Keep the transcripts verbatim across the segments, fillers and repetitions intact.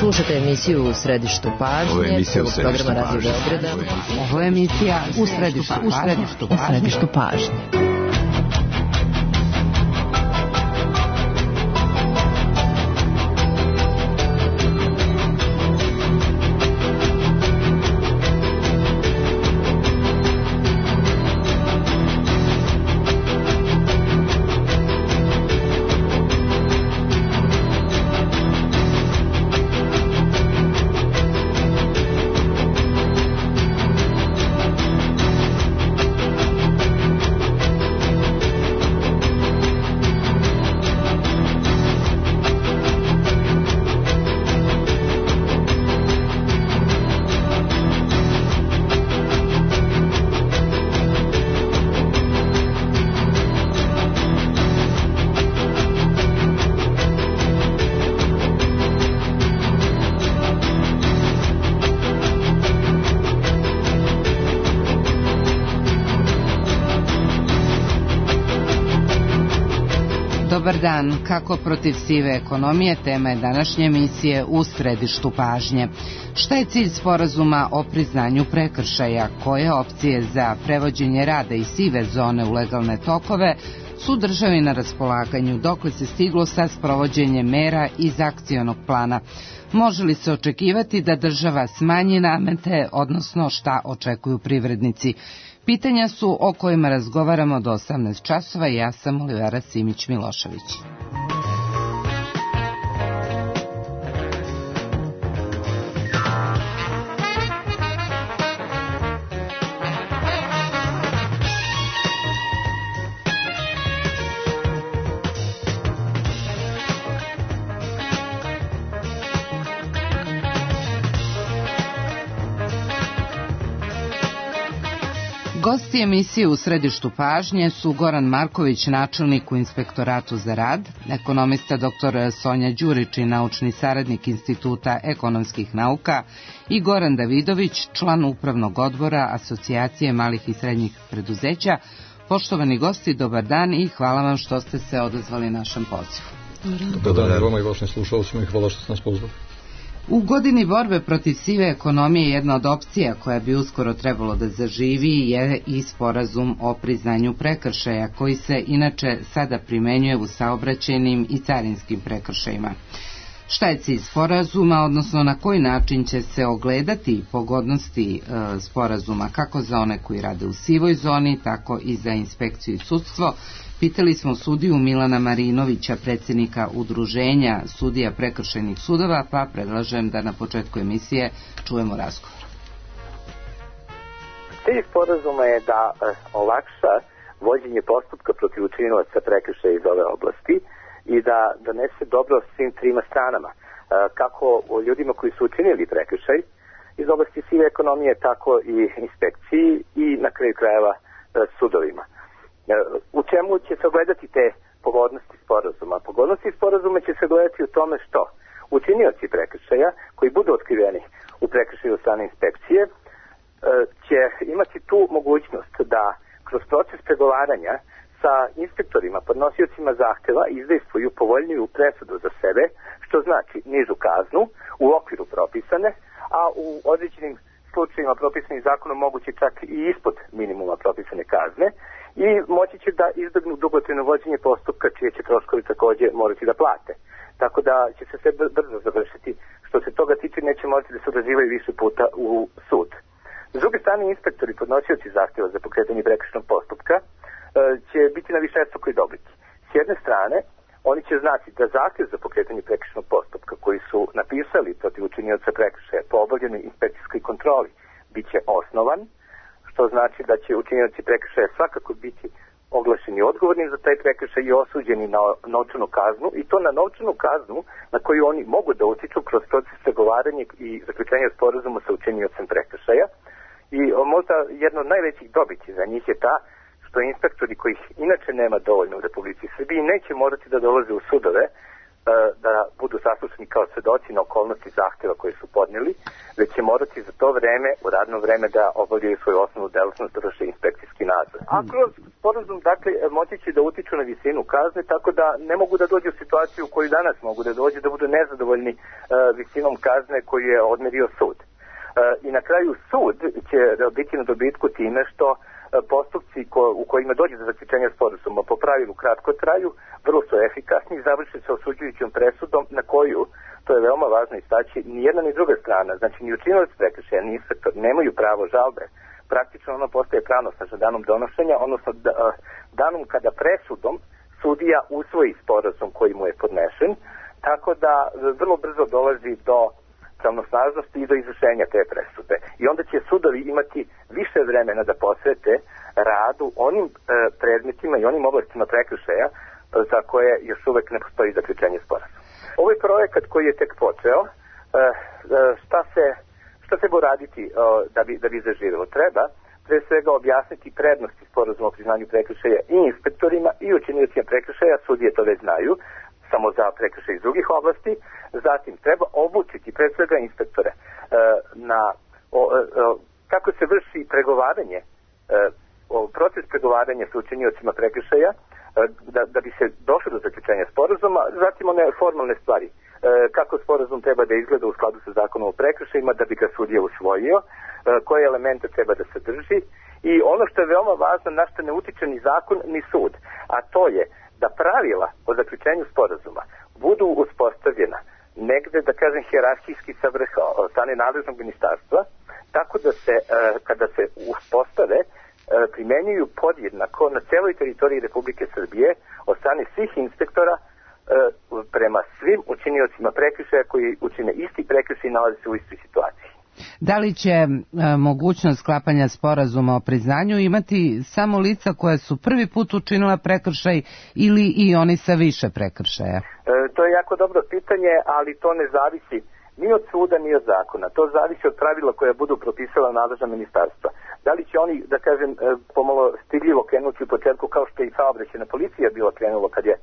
Slušajte emisiju U središtu pažnje. Ovo je emisija U središtu pažnje. Ovo je emisija U središtu pažnje. U središtu pažnje. Dobar dan, kako protiv sive ekonomije, tema je današnje emisije U središtu pažnje. Šta je cilj sporazuma o priznanju prekršaja? Koje opcije za prevođenje rada iz sive zone u legalne tokove su državi na raspolaganju, dokle se stiglo sa sprovođenjem mera iz akcionog plana? Može li se očekivati da država smanji namete, odnosno šta očekuju privrednici? Pitanja su o kojima razgovaramo do osamnaest časova i ja sam Olivera Simić-Milošević. Gosti emisije U središtu pažnje su Goran Marković, načelnik u Inspektoratu za rad, ekonomista doktor Sonja Đurić i naučni saradnik Instituta ekonomskih nauka i Goran Davidović, član upravnog odbora Asocijacije malih i srednjih preduzeća. Poštovani gosti, dobar dan i hvala vam što ste se odazvali našem pozivu. Dobar dan vama i vašim slušalcima i hvala što ste nas pozvali. U godini borbe protiv sive ekonomije jedna od opcija koja bi uskoro trebalo da zaživi je i sporazum o priznanju prekršaja, koji se inače sada primenjuje u saobraćajnim i carinskim prekršajima. Šta je cilj sporazuma, odnosno na koji način će se ogledati pogodnosti e, sporazuma, kako za one koji rade u sivoj zoni, tako i za inspekciju i sudstvo? Pitali smo sudiju Milana Marinovića, predsjednika Udruženja sudija prekršajnih sudova, pa predlažem da na početku emisije čujemo razgovor. Cilj sporazuma je da olakša vođenje postupka protiv učinilaca prekršaja iz ove oblasti i da donese dobro svim trima stranama, kako ljudima koji su učinili prekršaj iz oblasti sive ekonomije, tako i inspekciji i na kraju krajeva sudovima. U čemu će se ogledati te pogodnosti sporazuma? Pogodnosti sporazuma će se gledati u tome što učinioci prekršaja koji budu otkriveni u prekršaju od strane inspekcije će imati tu mogućnost da kroz proces pregovaranja sa inspektorima, podnosiocima zahteva izdejstvuju povoljniju presudu za sebe, što znači nižu kaznu u okviru propisane, a u određenim slučajima propisanih zakonom moguće čak i ispod minimuma propisane kazne, i moći će da izbegnu dugotrajno vođenje postupka čije će troškovi također morati da plate. Tako da će se sve brzo završiti. Što se toga tiče, neće morati da se odazivaju više puta u sud. S druge strane, inspektori, podnosioci zahtjeva za pokretanje prekršajnog postupka, će biti na višestrukoj dobiti. S jedne strane, oni će znati da zahtjev za pokretanje prekršajnog postupka koji su napisali protiv učinioca prekršaja po obavljenoj inspekcijskoj kontroli bit će osnovan, što znači da će učinioci prekršaja svakako biti oglašeni odgovorni za taj prekršaj i osuđeni na novčanu kaznu, i to na novčanu kaznu na koju oni mogu da utiču kroz proces pregovaranja i zaključenja sporazuma sa učiniocem prekršaja. I možda jedna od najvećih dobiti za njih je ta što inspektori, kojih inače nema dovoljno u Republici Srbiji, neće morati da dolaze u sudove da budu saslušani kao svedoci na okolnosti zahtjeva koje su podnijeli, već će morati za to vreme, u radno vreme, da obavljaju svoju osnovnu delatnost, da vrše inspekcijski nadzor. A kroz sporazum, dakle, moći će da utiču na visinu kazne, tako da ne mogu da dođu u situaciju u koju danas mogu da dođe, da budu nezadovoljni uh, visinom kazne koju je odmerio sud. Uh, I na kraju sud će biti na dobitku time što postupci ko, u kojima dođe do zaključenja sporazuma po pravilu kratko traju, vrlo su efikasni i završe se osuđujućom presudom na koju, to je veoma važno istaći, ni jedna ni druga strana, znači ni učinilac prekršaja ni inspektor nemaju pravo žalbe. Praktično ono postaje pravnosno sa danom donošenja, odnosno da, danom kada presudom sudija usvoji sporazum koji mu je podnešen, tako da vrlo brzo dolazi do pravnosnažnosti i do izvršenja te presude. I onda će sudovi imati više vremena da posvete radu onim e, predmetima i onim oblastima prekršaja e, za koje još uvek ne postoji zaključenje sporazuma. Ovaj projekat koji je tek počeo, e, e, šta se šta se bo raditi e, da bi, da bi zaživelo? Treba pre svega objasniti prednosti sporazuma o priznanju prekršaja i inspektorima i učiniocima prekršaja, sudije to već znaju, samo za prekršaj iz drugih oblasti. Zatim treba obučiti pre svega inspektore e, na o, o, kako se vrši pregovaranje, e, o, proces pregovaranja sa učiniocima prekršaja, e, da, da bi se došlo do zaključenja sporazuma. Zatim one formalne stvari, e, kako sporazum treba da izgleda u skladu sa zakonom o prekršajima da bi ga sudija usvojio, e, koje elemente treba da sadrži i ono što je veoma važno, na što ne utiče ni zakon ni sud, a to je da pravila o zaključenju sporazuma budu uspostavljena negde, da kažem, hijerarhijski sa vrha od strane nadležnog ministarstva, tako da se, e, kada se uspostave, e, primenjuju podjednako na celoj teritoriji Republike Srbije od strane svih inspektora e, prema svim učiniocima prekršaja koji učine isti prekršaj i nalaze se u istoj situaciji. Da li će e, mogućnost sklapanja sporazuma o priznanju imati samo lica koja su prvi put učinila prekršaj ili i oni sa više prekršaja? E, to je jako dobro pitanje, ali to ne zavisi ni od suda ni od zakona. To zavisi od pravila koja budu propisala nadležna ministarstva. Da li će oni, da kažem, pomalo stidljivo krenuti u početku kao što je i saobraćajna policija bila krenulo kad je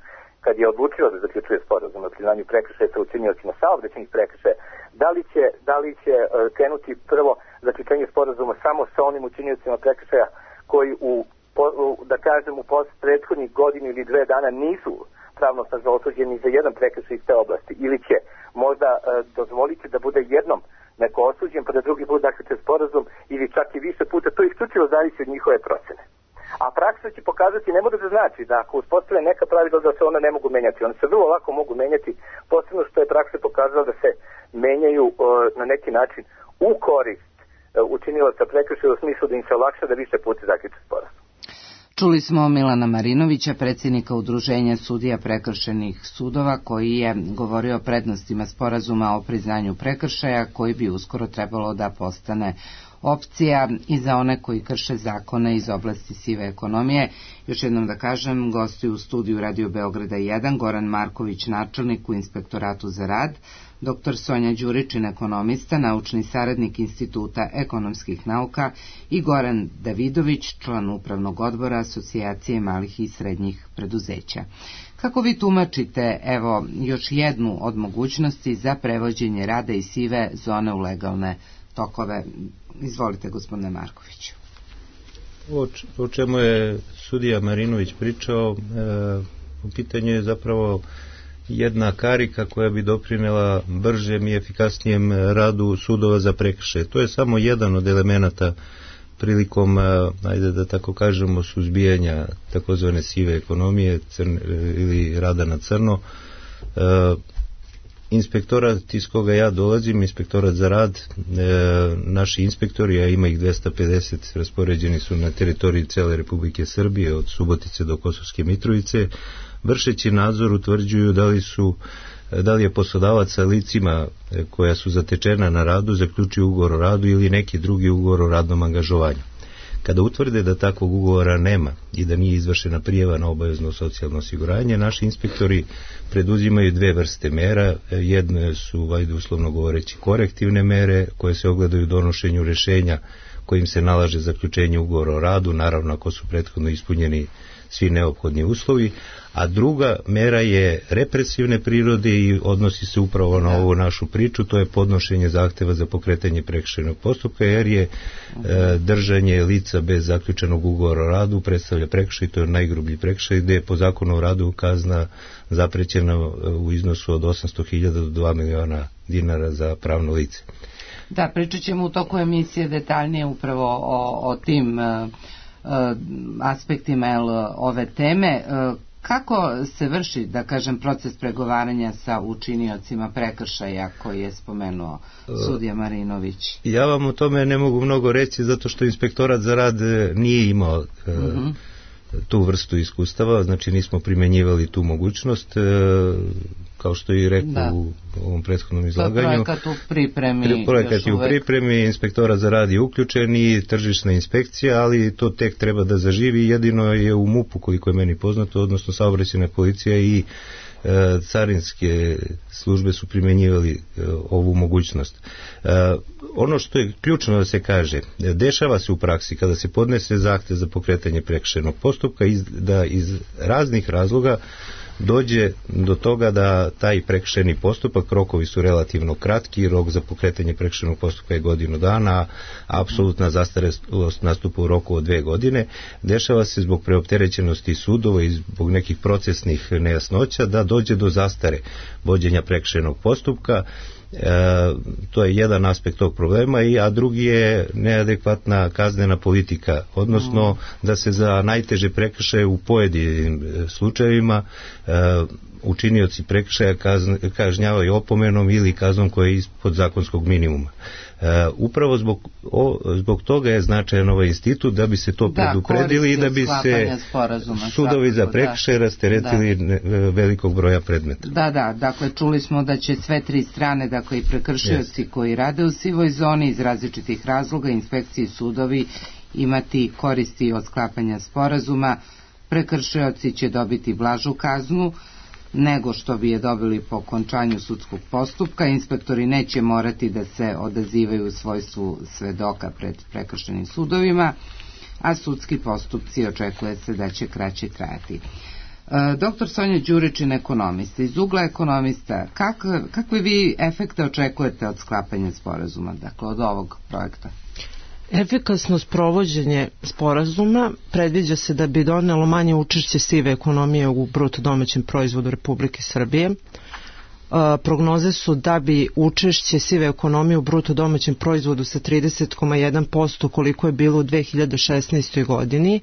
kad je odlučila da zaključuje sporazum o priznanju prekršaja sa učiniocima saobraćajnih prekršaja, da li će, da li će krenuti prvo zaključenje sporazuma samo sa onim učiniocima prekršaja koji u, u da kažem, u prethodnih godinu ili dve dana nisu pravnosnažno osuđeni za jedan prekršaj iz te oblasti, ili će možda e, dozvoliti da bude jednom neko osuđen, pa da drugi put zaključen sporazum, ili čak i više puta, to isključivo zavisi od njihove procene. A praksa će pokazati, ne može da znači da ako uspostave neka pravila da se ona ne mogu menjati. One se vrlo lako mogu menjati, posebno što je praksa pokazala da se menjaju e, na neki način u korist e, učinilaca prekršaja u smislu da im se olakša da više puta zaključe sporazum. Čuli smo Milana Marinovića, predsjednika Udruženja sudija prekršajnih sudova, koji je govorio o prednostima sporazuma o priznanju prekršaja, koji bi uskoro trebalo da postane opcija i za one koji krše zakone iz oblasti sive ekonomije. Još jednom da kažem, gosti u studiju Radio Beograda jedan, Goran Marković, načelnik u Inspektoratu za rad, doktor Sonja Đuričin, ekonomista, naučni saradnik Instituta ekonomskih nauka i Goran Davidović, član upravnog odbora Asocijacije malih i srednjih preduzeća. Kako vi tumačite, evo, još jednu od mogućnosti za prevođenje rada iz sive zone u legalne tokove? Izvolite, gospodine Markoviću. O, o čemu je sudija Marinović pričao, e, u pitanju je zapravo jedna karika koja bi doprinela bržem i efikasnijem radu sudova za prekršaje. To je samo jedan od elemenata prilikom, ajde da tako kažemo, suzbijanja takozvane sive ekonomije crn, ili rada na crno. E, Inspektorat iz koga ja dolazim, Inspektorat za rad, e, naši inspektori, a ima ih dvesta pedeset, raspoređeni su na teritoriji cele Republike Srbije, od Subotice do Kosovske Mitrovice, vršeći nadzor utvrđuju da li su da li je poslodavac sa licima koja su zatečena na radu zaključio ugovor o radu ili neki drugi ugovor o radnom angažovanju. Kada utvrde da takvog ugovora nema i da nije izvršena prijava na obavezno socijalno osiguranje, naši inspektori preduzimaju dve vrste mera. Jedne su, vajde uslovno govoreći, korektivne mere koje se ogledaju u donošenju rješenja kojim se nalaže zaključenje ugovora o radu, naravno ako su prethodno ispunjeni svi neophodni uslovi, a druga mera je represivne prirode i odnosi se upravo na ovu našu priču, to je podnošenje zahteva za pokretanje prekršajnog postupka, jer je e, držanje lica bez zaključenog ugovora o radu predstavlja prekršaj, to je najgrublji prekršaj, gde je po zakonu o radu kazna zaprećena u iznosu od osamsto hiljada do dva miliona dinara za pravno lice. Da, pričat ćemo u toku emisije detaljnije upravo o, o tim uh, uh, aspektima el, ove teme. Uh, kako se vrši, da kažem, proces pregovaranja sa učiniocima prekršaja koji je spomenuo sudija Marinović? Ja vam o tome ne mogu mnogo reći, zato što Inspektorat za rad nije imao uh, uh-huh. tu vrstu iskustava, znači nismo primenjivali tu mogućnost, e, kao što je i rekao da. u ovom prethodnom izlaganju. Projekat u pripremi. Projekat je u pripremi, Inspektorat za rad je uključen i tržišna inspekcija, ali to tek treba da zaživi, jedino je u MUP-u, koliko je meni poznato, odnosno saobraćajna policija i e, carinske službe su primenjivali e, ovu mogućnost. E, ono što je ključno da se kaže, dešava se u praksi kada se podnese zahtev za pokretanje prekršajnog postupka iz, da iz raznih razloga dođe do toga da taj prekršajni postupak, rokovi su relativno kratki, rok za pokretanje prekršajnog postupka je godinu dana, a apsolutna zastarelost nastupa u roku od dve godine. Dešava se zbog preopterećenosti sudova i zbog nekih procesnih nejasnoća da dođe do zastare vođenja prekršajnog postupka. E, to je jedan aspekt tog problema, i a drugi je neadekvatna kaznena politika, odnosno mm. da se za najteže prekršaje u pojedinim slučajevima e, učinioci prekršaja kazn, kažnjavaju opomenom ili kaznom koja je ispod zakonskog minimuma. E, upravo zbog, o, zbog toga je značajan ovaj institut, da bi se to da, predupredili i da bi se sudovi za prekršaje da. rasteretili da. velikog broja predmeta. Da, da, dakle čuli smo da će sve tri strane, dakle i prekršioci yes. koji rade u sivoj zoni iz različitih razloga, inspekcije i sudovi imati koristi od sklapanja sporazuma. Prekršioci će dobiti blažu kaznu nego što bi je dobili po okončanju sudskog postupka. Inspektori neće morati da se odazivaju u svojstvu svedoka pred prekršajnim sudovima, a sudski postupci očekuje se da će kraće trajati. E, doktor Sonja Đuričin, ekonomista. Iz ugla ekonomista, kakve, kakve vi efekte očekujete od sklapanja sporazuma, dakle od ovog projekta? Efikasno sprovođenje sporazuma predviđa se da bi donelo manje učešće sive ekonomije u bruto domaćem proizvodu Republike Srbije. E, prognoze su da bi učešće sive ekonomije u bruto domaćem proizvodu sa trideset zarez jedan posto koliko je bilo u dve hiljade šesnaestoj. godini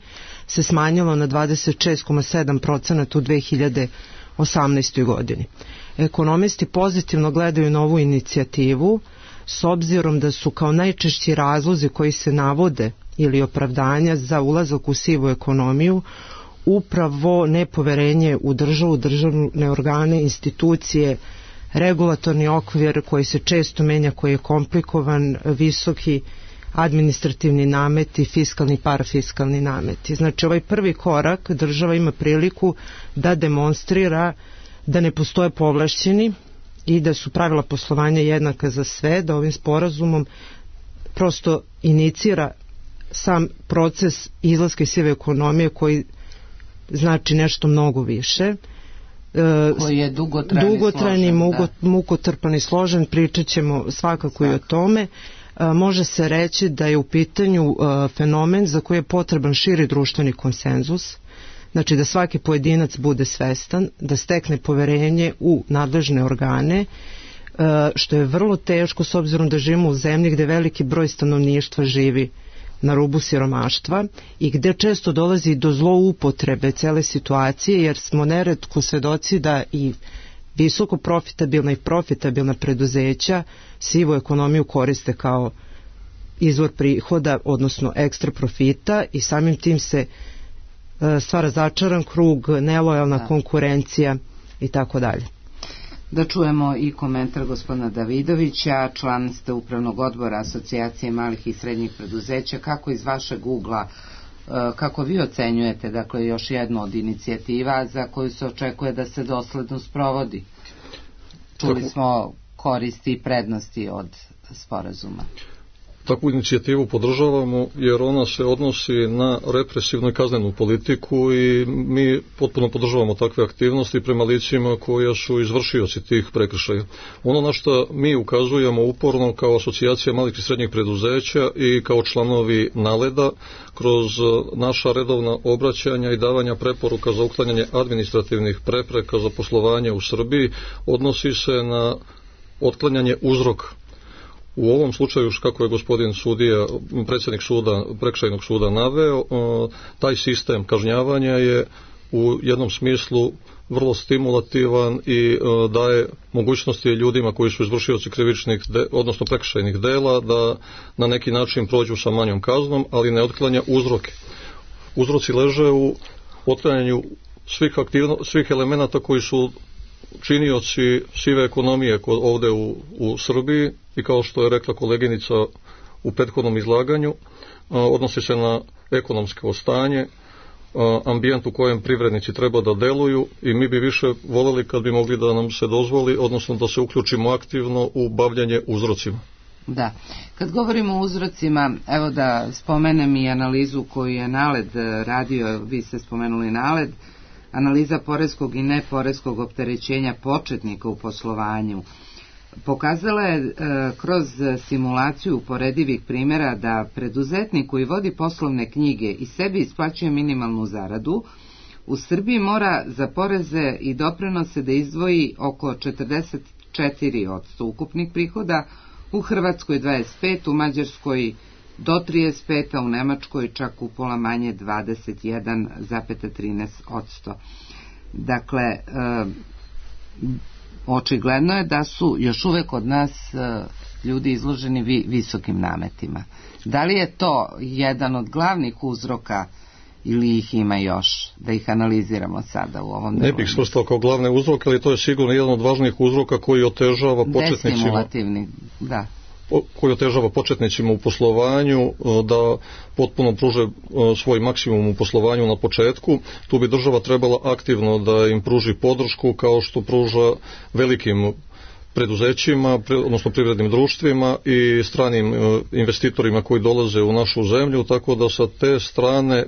se smanjilo na dvadeset šest zarez sedam posto u dve hiljade osamnaestoj. godini. Ekonomisti pozitivno gledaju na ovu inicijativu, s obzirom da su kao najčešći razlozi koji se navode ili opravdanja za ulazak u sivu ekonomiju upravo nepoverenje u državu, državne organe, institucije, regulatorni okvir koji se često menja, koji je komplikovan, visoki administrativni nameti, fiskalni i parafiskalni nameti. Znači ovaj prvi korak država ima priliku da demonstrira da ne postoje povlašćeni i da su pravila poslovanja jednaka za sve, da ovim sporazumom prosto inicira sam proces izlaska iz sive ekonomije koji znači nešto mnogo više. Koji je dugotrajni, dugotrajni složen, mukotrpan i složen, pričat ćemo svakako Svak. i o tome. Može se reći da je u pitanju fenomen za koji je potreban širi društveni konsenzus, znači da svaki pojedinac bude svestan, da stekne poverenje u nadležne organe, što je vrlo teško s obzirom da živimo u zemlji gde veliki broj stanovništva živi na rubu siromaštva i gde često dolazi do zloupotrebe cele situacije, jer smo neretko svedoci da i visoko profitabilna i profitabilna preduzeća sivu ekonomiju koriste kao izvor prihoda, odnosno ekstra profita, i samim tim se stvara začaran krug, nelojalna da. konkurencija i tako dalje. Da čujemo i komentar gospodina Davidovića, član ste upravnog odbora Asocijacije malih i srednjih preduzeća. Kako iz vašeg ugla, kako vi ocenjujete, dakle, još jednu od inicijativa za koju se očekuje da se dosledno sprovodi? Čuli smo koristi i prednosti od sporazuma. Takvu inicijativu podržavamo jer ona se odnosi na represivnu i kaznenu politiku i mi potpuno podržavamo takve aktivnosti prema licima koja su izvršioci tih prekršaja. Ono na što mi ukazujemo uporno kao asocijacija malih i srednjih preduzeća i kao članovi Naleda kroz naša redovna obraćanja i davanja preporuka za uklanjanje administrativnih prepreka za poslovanje u Srbiji odnosi se na otklanjanje uzroka. U ovom slučaju, kako je gospodin sudija, predsjednik suda, prekršajnog suda naveo, taj sistem kažnjavanja je u jednom smislu vrlo stimulativan i daje mogućnosti ljudima koji su izvršioci krivičnih, odnosno prekršajnih dela, da na neki način prođu sa manjom kaznom, ali ne otklanja uzroke. Uzroci leže u otklanjanju svih, aktivno, svih elemenata koji su činioci sive ekonomije ovde u, u Srbiji i kao što je rekla koleginica u prethodnom izlaganju, odnosi se na ekonomsko stanje, ambijent u kojem privrednici treba da deluju i mi bi više voljeli kad bi mogli da nam se dozvoli, odnosno da se uključimo aktivno u bavljanje uzrocima. Da, kad govorimo o uzrocima, evo da spomenem i analizu koju je Naled radio, vi ste spomenuli Naled, analiza poreskog i neporeskog opterećenja početnika u poslovanju. Pokazala je e, kroz simulaciju uporedivih primjera da preduzetnik koji vodi poslovne knjige i sebi isplaćuje minimalnu zaradu, u Srbiji mora za poreze i doprinose da izdvoji oko četrdeset četiri posto ukupnih prihoda, u Hrvatskoj dvadeset pet posto, u Mađarskoj do trideset pet posto, a u Nemačkoj čak upola manje dvadeset jedan zarez trinaest posto. Dakle, e, očigledno je da su još uvek kod nas e, ljudi izloženi vi, visokim nametima. Da li je to jedan od glavnih uzroka ili ih ima još, da ih analiziramo sada u ovom delu? Ne bih svrstao kao glavne uzroke, ali to je sigurno jedan od važnijih uzroka koji otežava početnicima. Destimulativni, da. koji otežava početnicima u poslovanju da potpuno pruže svoj maksimum u poslovanju na početku. Tu bi država trebala aktivno da im pruži podršku kao što pruža velikim preduzećima, odnosno privrednim društvima i stranim investitorima koji dolaze u našu zemlju, tako da sa te strane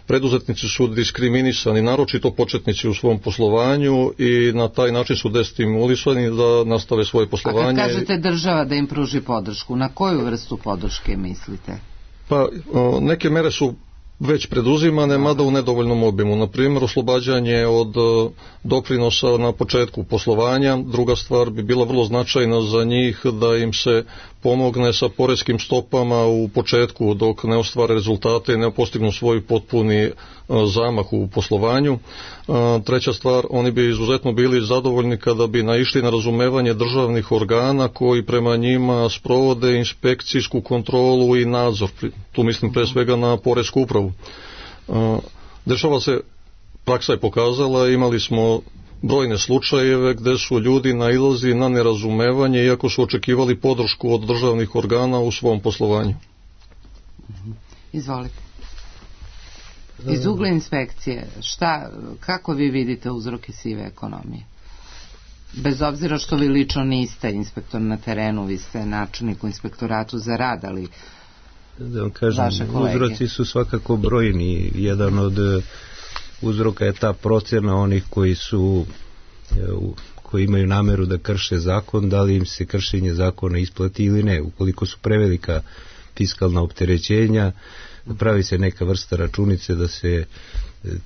preduzetnici su diskriminisani, naročito početnici u svom poslovanju i na taj način su destimulisani da nastave svoje poslovanje. A kad kažete država da im pruži podršku, na koju vrstu podrške mislite? Pa neke mere su već preduzimane, mada u nedovoljnom obimu. Na primjer, oslobađanje od doprinosa na početku poslovanja. Druga stvar bi bila vrlo značajna za njih da im se pomogne sa poreskim stopama u početku dok ne ostvare rezultate i ne postignu svoj potpuni zamah u poslovanju. Treća stvar, oni bi izuzetno bili zadovoljni kada bi naišli na razumevanje državnih organa koji prema njima sprovode inspekcijsku kontrolu i nadzor. Tu mislim pre svega na poresku upravu. Dešava se, praksa je pokazala, imali smo brojne slučajeve gde su ljudi nailazili na nerazumevanje iako su očekivali podršku od državnih organa u svom poslovanju. Izvolite. Iz ugla inspekcije, šta, kako vi vidite uzroke sive ekonomije? Bez obzira što vi lično niste inspektor na terenu, vi ste načelnik u inspektoratu za rad, ali da vam kažem, uzroci su svakako brojni. Jedan od uzroka je ta procjena onih koji su koji imaju nameru da krše zakon, da li im se kršenje zakona isplati ili ne. Ukoliko su prevelika fiskalna opterećenja, pravi se neka vrsta računice da se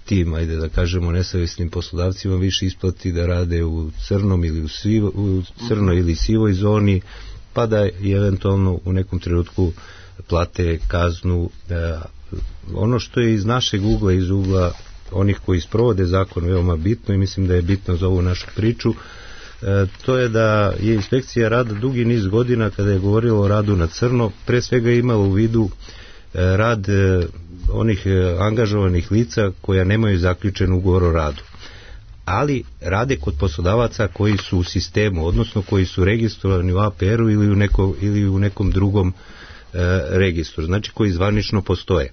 tim, ajde da kažemo, nesavjesnim poslodavcima više isplati da rade u crnom ili u, sivo, u crnoj ili sivoj zoni, pa da i eventualno u nekom trenutku plate kaznu. Ono što je iz našeg ugla, iz ugla onih koji sprovode zakon veoma bitno i mislim da je bitno za ovu našu priču, to je da je inspekcija rada dugi niz godina kada je govorilo o radu na crno, pre svega imala u vidu rad onih angažovanih lica koja nemaju zaključen ugovor o radu, ali rade kod poslodavaca koji su u sistemu, odnosno koji su registrovani u A P R-u ili u, neko, ili u nekom drugom e, registru, znači koji zvanično postoje.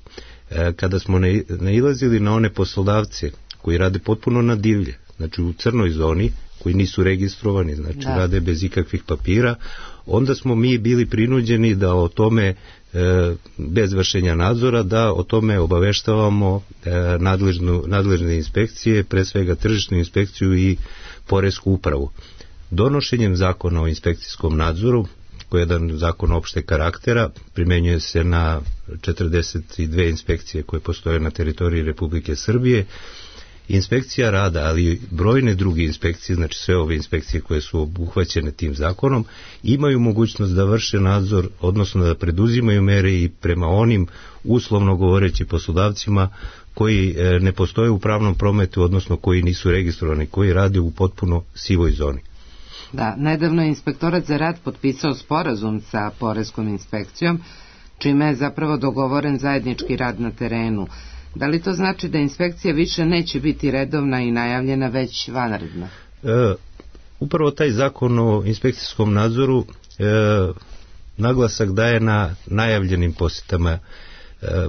E, kada smo nailazili na one poslodavce koji rade potpuno na divlje, znači u crnoj zoni, koji nisu registrovani, znači da. rade bez ikakvih papira, onda smo mi bili prinuđeni da o tome bez vršenja nadzora, da o tome obaveštavamo nadležnu, nadležne inspekcije, pre svega tržišnu inspekciju i poresku upravu. Donošenjem zakona o inspekcijskom nadzoru, koji je jedan zakon opšte karaktera, primenjuje se na četrdeset dve inspekcije koje postoje na teritoriji Republike Srbije. Inspekcija rada, ali i brojne druge inspekcije, znači sve ove inspekcije koje su obuhvaćene tim zakonom, imaju mogućnost da vrše nadzor, odnosno da preduzimaju mere i prema onim, uslovno govoreći, poslodavcima koji ne postoje u pravnom prometu, odnosno koji nisu registrovani, koji rade u potpuno sivoj zoni. Da, nedavno je Inspektorat za rad potpisao sporazum sa poreskom inspekcijom, čime je zapravo dogovoren zajednički rad na terenu. Da li to znači da inspekcija više neće biti redovna i najavljena, već vanredna? E, upravo taj zakon o inspekcijskom nadzoru e, naglasak daje na najavljenim posjetama e,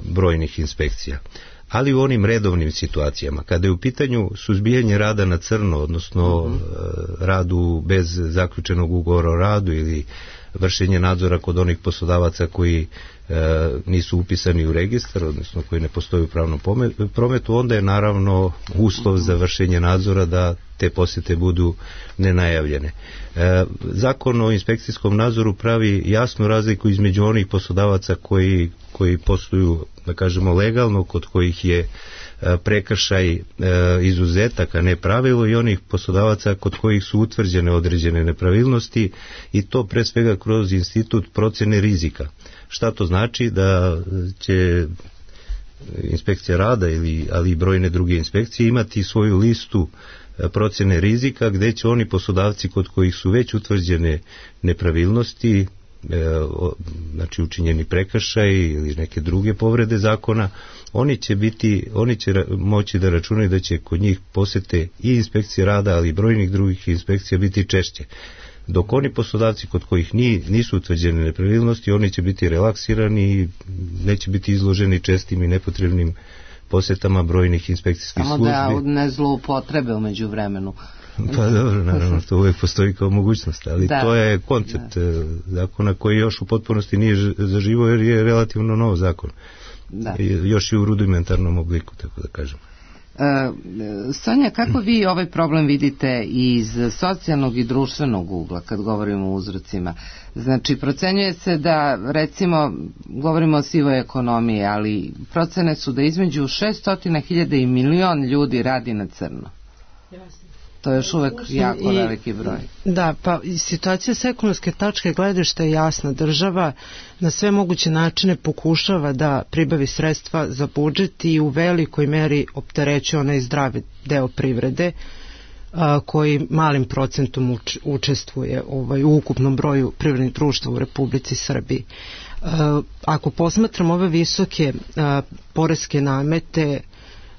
brojnih inspekcija. Ali u onim redovnim situacijama, kada je u pitanju suzbijanje rada na crno, odnosno uh-huh. radu bez zaključenog ugovora o radu ili vršenje nadzora kod onih poslodavaca koji e, nisu upisani u registar, odnosno koji ne postoji u pravnom prometu, onda je naravno uslov za vršenje nadzora da te posjete budu nenajavljene. E, zakon o inspekcijskom nadzoru pravi jasnu razliku između onih poslodavaca koji, koji posluju, da kažemo, legalno, kod kojih je prekršaj izuzetak, a ne pravilo, i onih poslodavaca kod kojih su utvrđene određene nepravilnosti, i to pre svega kroz institut procene rizika. Šta to znači? Da će inspekcija rada, ili, ali i brojne druge inspekcije, imati svoju listu procene rizika, gde će oni poslodavci kod kojih su već utvrđene nepravilnosti, znači učinjeni prekršaj ili neke druge povrede zakona, oni će biti, oni će moći da računaju da će kod njih posete i inspekcije rada, ali i brojnih drugih inspekcija biti češće. Dok oni poslodavci kod kojih ni, nisu utvrđene nepravilnosti, oni će biti relaksirani i neće biti izloženi čestim i nepotrebnim posetama brojnih inspekcijskih Samo službi. Samo da ne zloupotrebe umeđu vremenu. Pa dobro, naravno, to uvijek postoji kao mogućnost, ali da, to je koncept da. zakona koji još u potpunosti nije zaživao, jer je relativno nov zakon. Da. Još i u rudimentarnom obliku, tako da kažem. E, Sonja, kako vi ovaj problem vidite iz socijalnog i društvenog ugla kad govorimo o uzrocima? Znači, procenjuje se da, recimo, govorimo o sivoj ekonomiji, ali procene su da između šesto hiljada i milion ljudi radi na crno. Jasno. To je još uvek jako I, veliki broj. Da, pa situacija s ekonomske tačke gledišta je jasna. Država na sve moguće načine pokušava da pribavi sredstva za budžet i u velikoj meri opterećuje onaj zdravi deo privrede, a, koji malim procentom uč, učestvuje ovaj, u ukupnom broju privrednih društva u Republici Srbiji. A, ako posmatramo ove visoke a, poreske namete,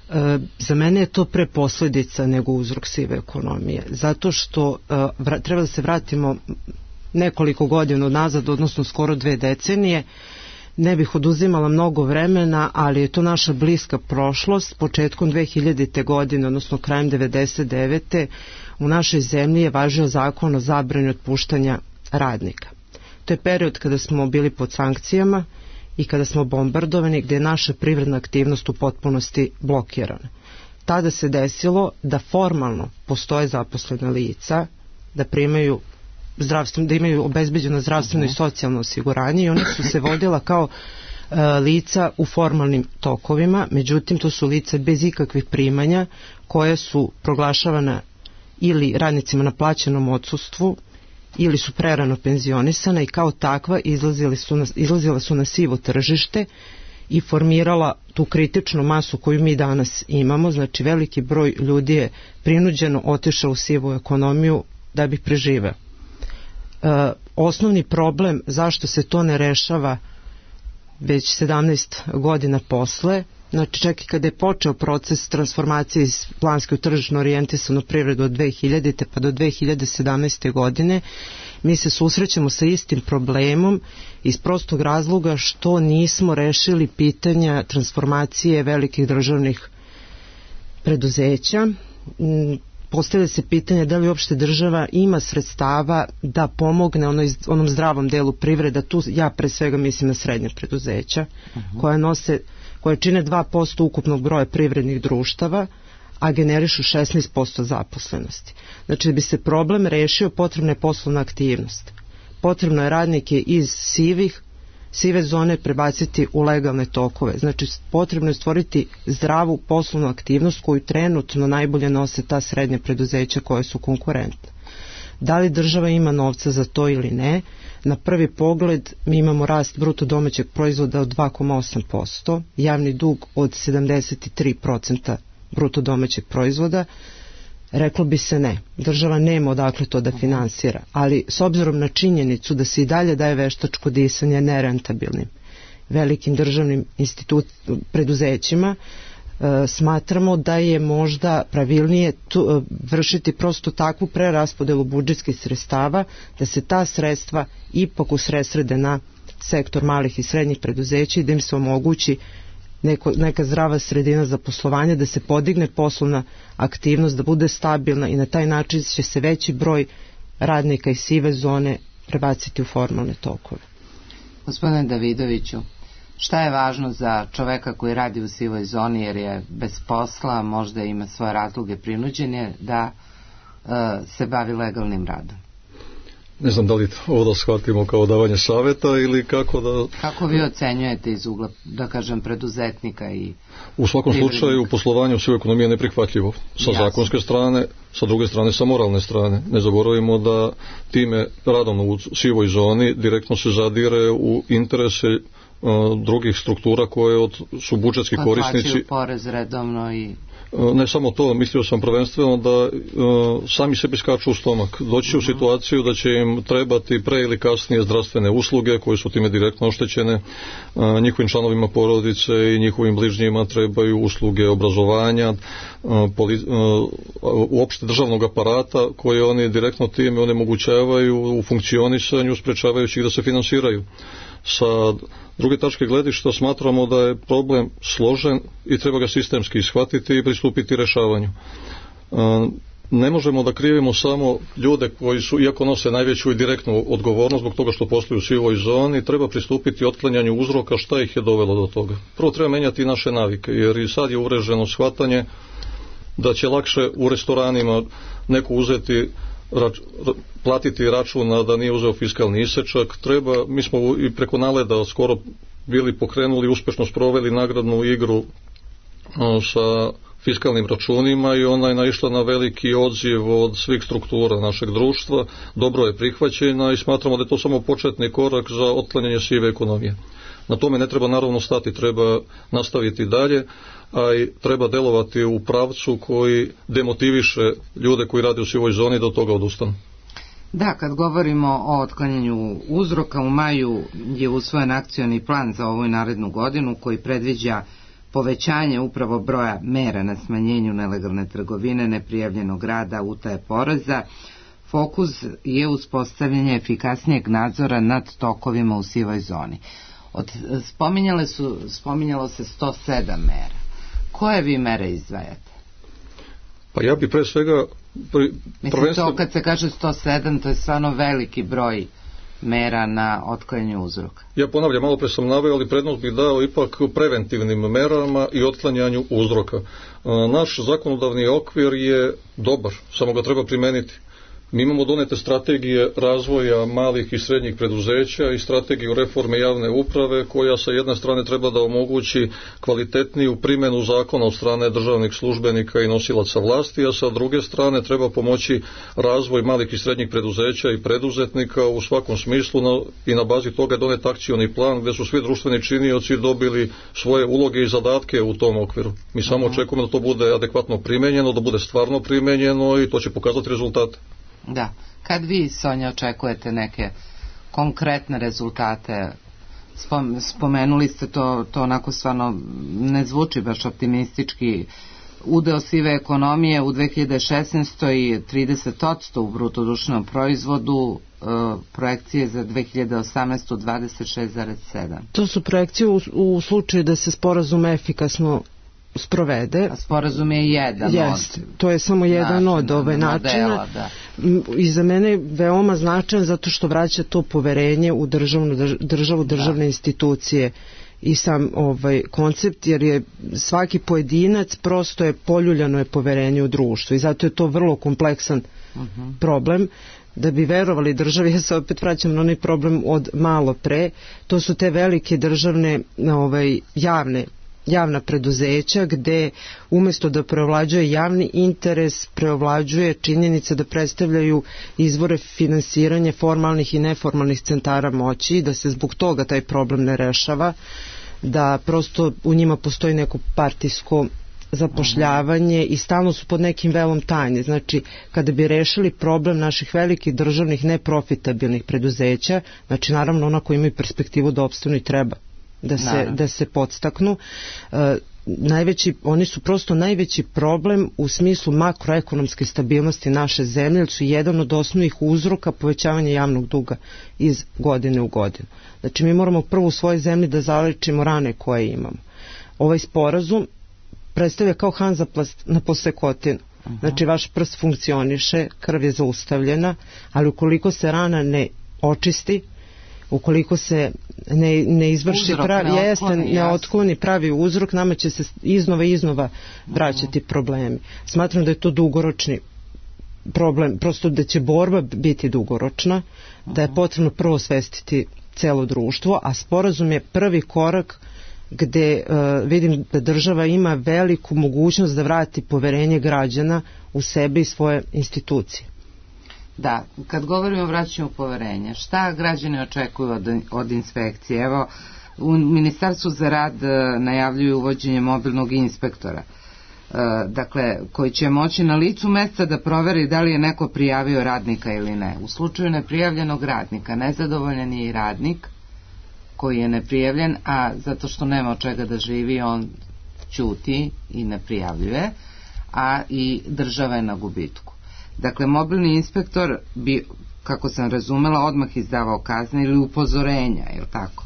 E, za mene je to pre posljedica nego uzrok sive ekonomije, zato što e, vra, treba da se vratimo nekoliko godina nazad, odnosno skoro dve decenije. Ne bih oduzimala mnogo vremena, ali je to naša bliska prošlost. Početkom dve hiljadite godine, odnosno krajem devedeset devete u našoj zemlji je važio zakon o zabrani otpuštanja radnika. To je period kada smo bili pod sankcijama i kada smo bombardovani, gdje je naša privredna aktivnost u potpunosti blokirana. Tada se desilo da formalno postoje zaposlena lica, da primaju zdravstveno, da imaju obezbeđeno zdravstveno uh-huh. i socijalno osiguranje, i oni su se vodila kao e, lica u formalnim tokovima, međutim to su lica bez ikakvih primanja, koja su proglašavana ili radnicima na plaćenom odsustvu, ili su prerano penzionisana, i kao takva izlazile su na, izlazile su na sivo tržište i formirala tu kritičnu masu koju mi danas imamo. Znači, veliki broj ljudi je prinuđeno otišao u sivu ekonomiju da bi preživeo. E, osnovni problem zašto se to ne rešava već sedamnaest godina posle, znači čak i kada je počeo proces transformacije iz planske u tržišno orijentisanu privredu od dve hiljadite pa do dve hiljade sedamnaeste godine, mi se susrećemo sa istim problemom iz prostog razloga što nismo rešili pitanja transformacije velikih državnih preduzeća. postavlja se pitanje da li uopšte država ima sredstava da pomogne onoj, onom zdravom delu privreda. Tu ja pre svega mislim na srednje preduzeća, uh-huh. koje nose, koje čine dva posto ukupnog broja privrednih društava, a generišu šesnaest posto zaposlenosti. Znači, da bi se problem rešio, potrebna je poslovna aktivnost. Potrebno je radnike iz sivih, sive zone prebaciti u legalne tokove. Znači, potrebno je stvoriti zdravu poslovnu aktivnost koju trenutno najbolje nose ta srednja preduzeća koje su konkurentne. Da li država ima novca za to ili ne? Na prvi pogled mi imamo rast bruto domaćeg proizvoda od dva zarez osam posto, javni dug od sedamdeset tri posto bruto domaćeg proizvoda. Reklo bi se ne. Država nema odakle to da finansira, ali s obzirom na činjenicu da se i dalje daje veštačko disanje nerentabilnim velikim državnim institut, preduzećima, e, smatramo da je možda pravilnije tu, e, vršiti prosto takvu preraspodelu budžetskih sredstava da se ta sredstva ipak usredsrede na sektor malih i srednjih preduzeća i da im se omogući Neko, neka zdrava sredina za poslovanje, da se podigne poslovna aktivnost, da bude stabilna i na taj način će se veći broj radnika iz sive zone prebaciti u formalne tokove. Gospodine Davidoviću, šta je važno za čoveka koji radi u sivoj zoni jer je bez posla, možda ima svoje razloge prinuđenje da uh, se bavi legalnim radom? Ne znam da li ovo da shvatimo kao davanje savjeta ili kako da... Kako vi ocenjujete iz ugla, da kažem, preduzetnika i... U svakom slučaju poslovanje u sivoj ekonomiji je neprihvatljivo. Sa Jasne. zakonske strane, sa druge strane sa moralne strane. Ne zaboravimo da time radom u sivoj zoni direktno se zadire u interese uh, drugih struktura koje od, su budžetski pa korisnici. Plaćaju porez redovno i... Ne samo to, mislio sam prvenstveno da uh, sami sebi skaču u stomak. Doći će uh-huh. u situaciju da će im trebati pre ili kasnije zdravstvene usluge koje su time direktno oštećene. Uh, njihovim članovima porodice i njihovim bližnjima trebaju usluge obrazovanja, uh, poli, uh, uopšte državnog aparata koje oni direktno time onemogućavaju u funkcionisanju, sprečavajući ih da se finansiraju. Sa druge tačke gledišta smatramo da je problem složen i treba ga sistemski shvatiti i pristupiti rešavanju. Ne možemo da krivimo samo ljude koji su, iako nose najveću i direktnu odgovornost zbog toga što posluju u sivoj zoni, treba pristupiti otklanjanju uzroka šta ih je dovelo do toga. Prvo treba menjati naše navike, jer i sad je uvreženo shvatanje da će lakše u restoranima neko uzeti Rač, platiti račun da nije uzeo fiskalni isečak. Treba, mi smo i preko Naleda skoro bili pokrenuli, uspešno sproveli nagradnu igru sa fiskalnim računima i ona je naišla na veliki odziv od svih struktura našeg društva. Dobro je prihvaćena i smatramo da je to samo početni korak za otklanjanje sive ekonomije. Na tome ne treba naravno stati, treba nastaviti dalje, a i treba delovati u pravcu koji demotiviše ljude koji rade u sivoj zoni da od toga odustanu. Da, kad govorimo o otklanjanju uzroka, u maju je usvojen akcioni plan za ovu narednu godinu koji predviđa povećanje upravo broja mera na smanjenju nelegalne trgovine, neprijavljenog rada, utaje poreza. Fokus je uspostavljanje efikasnijeg nadzora nad tokovima u sivoj zoni. Od, spominjale su, spominjalo se sto sedam mera. Koje vi mere izdvajate? Pa ja bi pre svega... Pri, Mislim, prvenstvo... to kad se kaže sto sedam, to je stvarno veliki broj mera na otklanjanju uzroka. Ja ponavljam, malo pre sam naveo, ali prednost bih dao ipak preventivnim merama i otklanjanju uzroka. Naš zakonodavni okvir je dobar, samo ga treba primeniti. Mi imamo donete strategije razvoja malih i srednjih preduzeća i strategiju reforme javne uprave koja sa jedne strane treba da omogući kvalitetniju primjenu zakona od strane državnih službenika i nosilaca vlasti, a sa druge strane treba pomoći razvoj malih i srednjih preduzeća i preduzetnika u svakom smislu na, i na bazi toga je donet akcioni plan gdje su svi društveni činioci dobili svoje uloge i zadatke u tom okviru. Mi samo uh-huh. očekujemo da to bude adekvatno primenjeno, da bude stvarno primenjeno i to će pokazati rezultate. Da. Kad vi, Sonja, očekujete neke konkretne rezultate? Spomenuli ste to, to onako stvarno ne zvuči baš optimistički. Udeo sive ekonomije u dve hiljade šesnaestoj trideset posto u bruto društvenom proizvodu, e, projekcije za dve hiljade osamnaestu dvadeset šest zarez sedam. To su projekcije u, u slučaju da se sporazum efikasno sprovede. A sporazum je jedan Jest, od... To je samo jedan načina, od ove načina. Da. I za mene je veoma značajan zato što vraća to poverenje u državnu, državu, državne da. institucije i sam ovaj koncept, jer je svaki pojedinac prosto je poljuljano je poverenje u društvu i zato je to vrlo kompleksan uh-huh. problem. Da bi verovali državi, ja se opet vraćam na onaj problem od malo pre, to su te velike državne ovaj, javne javna preduzeća gde umjesto da preovlađuje javni interes, preovlađuje činjenica da predstavljaju izvore finansiranja formalnih i neformalnih centara moći, da se zbog toga taj problem ne rešava, da prosto u njima postoji neko partijsko zapošljavanje i stalno su pod nekim velom tajne. Znači, kada bi rešili problem naših velikih državnih neprofitabilnih preduzeća, znači naravno ona koji imaju perspektivu da opstanu i treba da se, da se podstaknu, e, najveći, oni su prosto najveći problem u smislu makroekonomske stabilnosti naše zemlje, jer su jedan od osnovnih uzroka povećavanja javnog duga iz godine u godinu. Znači mi moramo prvo u svojoj zemlji da zalečimo rane koje imamo. Ovaj sporazum predstavlja kao hanzaplast na posekotinu. Znači vaš prst funkcioniše, krv je zaustavljena, ali ukoliko se rana ne očisti, ukoliko se ne, ne izvrši pravi, ne, jeste, otkloni, ne otkloni pravi uzrok, nama će se iznova i iznova vraćati uh-huh. problemi. Smatram da je to dugoročni problem, prosto da će borba biti dugoročna, uh-huh. da je potrebno prvo svestiti celo društvo, a sporazum je prvi korak gde uh, vidim da država ima veliku mogućnost da vrati poverenje građana u sebe i svoje institucije. Da, kad govorimo o vraćanju poverenja, šta građani očekuju od, od inspekcije? Evo, u Ministarstvu za rad najavljuju uvođenje mobilnog inspektora, e, dakle, koji će moći na licu mesta da proveri da li je neko prijavio radnika ili ne. U slučaju neprijavljenog radnika, nezadovoljan je i radnik koji je neprijavljen, a zato što nema od čega da živi, on ćuti i ne prijavljuje, a i država je na gubitku. Dakle, mobilni inspektor bi, kako sam razumela, odmah izdavao kazne ili upozorenja, je li tako?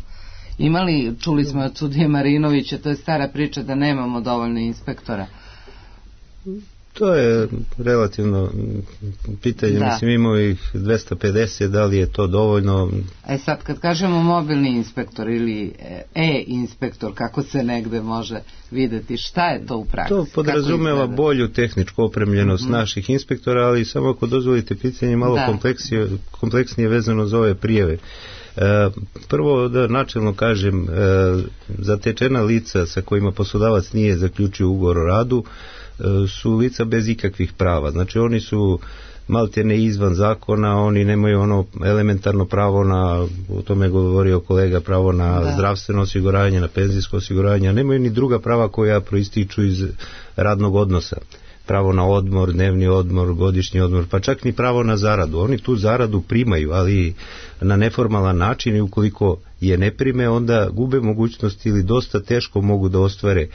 Imali, čuli smo od sudije Marinovića, to je stara priča da nemamo dovoljno inspektora. To je relativno pitanje, da. Mislim imamo ih dvesta pedeset, da li je to dovoljno? E sad kad kažemo mobilni inspektor ili e-inspektor, kako se negde može videti, šta je to u praksi? To podrazumeva bolju tehničku opremljenost mm-hmm. naših inspektora, ali samo ako dozvolite pitanje malo da. kompleksnije, kompleksnije vezano za ove prijave. E, prvo da načelno kažem, e, zatečena lica sa kojima poslodavac nije zaključio ugovor o radu su lica bez ikakvih prava. Znači oni su maltene izvan zakona, oni nemaju ono elementarno pravo na, o tome je govorio kolega, pravo na da. zdravstveno osiguranje, na penzijsko osiguranje, nemaju ni druga prava koja proističu iz radnog odnosa. Pravo na odmor, dnevni odmor, godišnji odmor, pa čak ni pravo na zaradu. Oni tu zaradu primaju, ali na neformalan način i ukoliko je ne prime, onda gube mogućnost ili dosta teško mogu da ostvare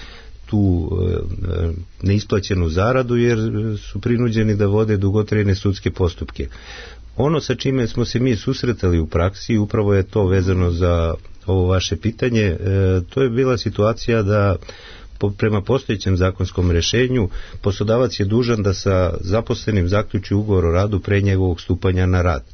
tu e, neisplaćenu zaradu jer su prinuđeni da vode dugotrajne sudske postupke. Ono sa čime smo se mi susretali u praksi, upravo je to vezano za ovo vaše pitanje, e, to je bila situacija da po, prema postojećem zakonskom rešenju poslodavac je dužan da sa zaposlenim zaključi ugovor o radu pre njegovog stupanja na rad.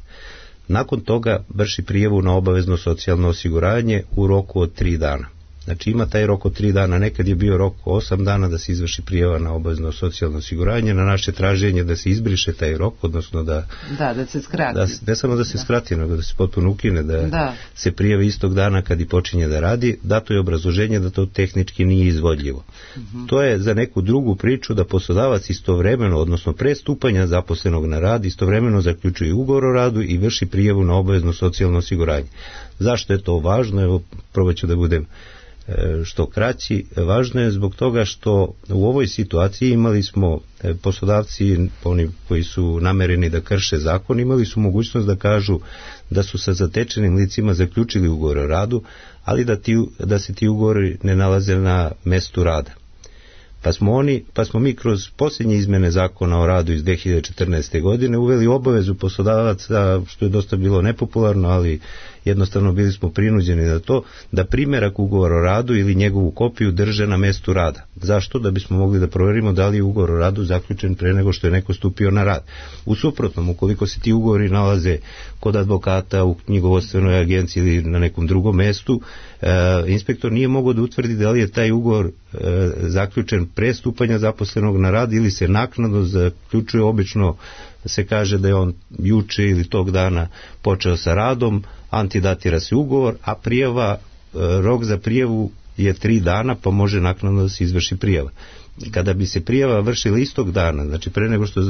Nakon toga vrši prijavu na obavezno socijalno osiguranje u roku od tri dana. Znači ima taj rok od tri dana, nekad je bio rok osam dana da se izvrši prijava na obavezno socijalno osiguranje, na naše traženje da se izbriše taj rok, odnosno da... Da, da se skrati. Da, ne samo da se da. skrati, nego da se potpuno ukine, da, da se prijavi istog dana kad i počinje da radi, dato je obrazloženje da to tehnički nije izvodljivo. Uh-huh. To je za neku drugu priču da poslodavac istovremeno, odnosno pre stupanja zaposlenog na rad, istovremeno zaključuje ugovor o radu i vrši prijavu na obavezno socijalno osiguranje. Zašto je to važno? Evo, probat ću da budem što kraći. Važno je zbog toga što u ovoj situaciji imali smo poslodavci, oni koji su namereni da krše zakon, imali su mogućnost da kažu da su sa zatečenim licima zaključili ugovor o radu, ali da, ti, da se ti ugovori ne nalaze na mestu rada. Pa smo, oni, pa smo mi kroz posljednje izmene zakona o radu iz dve hiljade četrnaeste. godine uveli obavezu poslodavaca, što je dosta bilo nepopularno, ali jednostavno bili smo prinuđeni na to da primjerak ugovora o radu ili njegovu kopiju drže na mestu rada. Zašto? Da bismo mogli da provjerimo da li je ugovor o radu zaključen pre nego što je neko stupio na rad. U suprotnom, ukoliko se ti ugovori nalaze kod advokata, u knjigovodstvenoj agenciji ili na nekom drugom mestu, e, inspektor nije mogao da utvrdi da li je taj ugovor e, zaključen pre stupanja zaposlenog na rad ili se naknadno zaključuje. Obično se kaže da je on juče ili tog dana počeo sa radom, antidatira se ugovor, a prijava, rok za prijavu je tri dana, pa može naknadno da se izvrši prijava. Kada bi se prijava vršila istog dana, znači pre nego što